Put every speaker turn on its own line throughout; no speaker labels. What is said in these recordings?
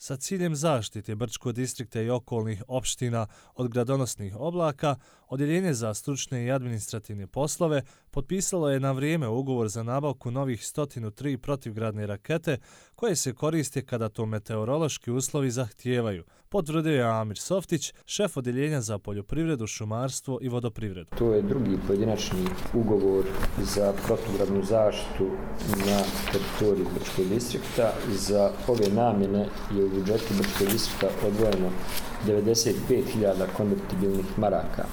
Sa ciljem zaštite Brčkog distrikta i okolnih opština od gradonosnih oblaka, Odjeljenje za stručne i administrativne poslove potpisalo je na vrijeme ugovor za nabavku novih 103 protivgradne rakete koje se koriste kada to meteorološki uslovi zahtijevaju, potvrdio je Amir Softić, šef Odjeljenja za poljoprivredu, šumarstvo i vodoprivredu.
To je drugi pojedinačni ugovor za protugradnu zaštitu na teritoriji Brčkog distrikta. Za ove namjene je u budžetu Brčkog distrikta odvojeno 95.000 konvertibilnih maraka.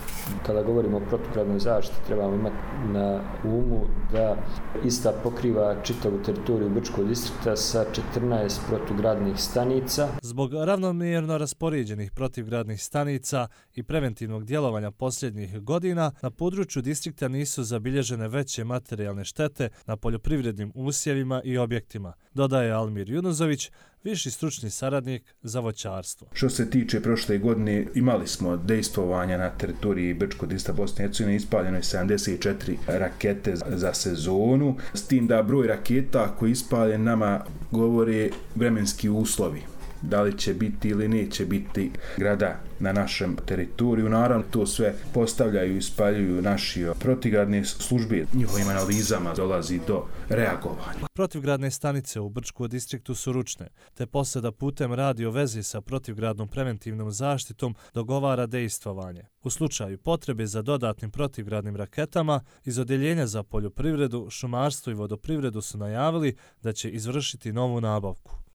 Kada govorimo o protugradnoj zaštiti, trebamo imati na umu da ista pokriva čitavu teritoriju Brčkog distrikta sa 14 protugradnih stanica.
Zbog ravnomjerno raspoređenih protivgradnih stanica i preventivnog djelovanja posljednjih godina, na području distrikta nisu zabilježene veće materijalne štete na poljoprivrednim usjevima i objektima, dodaje Almir Junuzović, viši stručni saradnik za voćarstvo.
Što se tiče prošle godine, imali smo dejstvovanja na teritoriji Brčkog distrikta Bosne i Hercegovine, ispaljeno je 74 rakete za sezonu, s tim da broj raketa koji ispaljen nama govore vremenski uslovi. Da li će biti ili neće biti grada na našem teritoriju. Naravno, to sve postavljaju i ispaljuju naši protivgradne službe. Njihovim analizama dolazi do reagovanja.
Protivgradne stanice u Brčkom distriktu su ručne, te posada putem radio veze sa protivgradnom preventivnom zaštitom dogovara dejstvovanje. U slučaju potrebe za dodatnim protivgradnim raketama, iz Odjeljenja za poljoprivredu, šumarstvo i vodoprivredu su najavili da će izvršiti novu nabavku.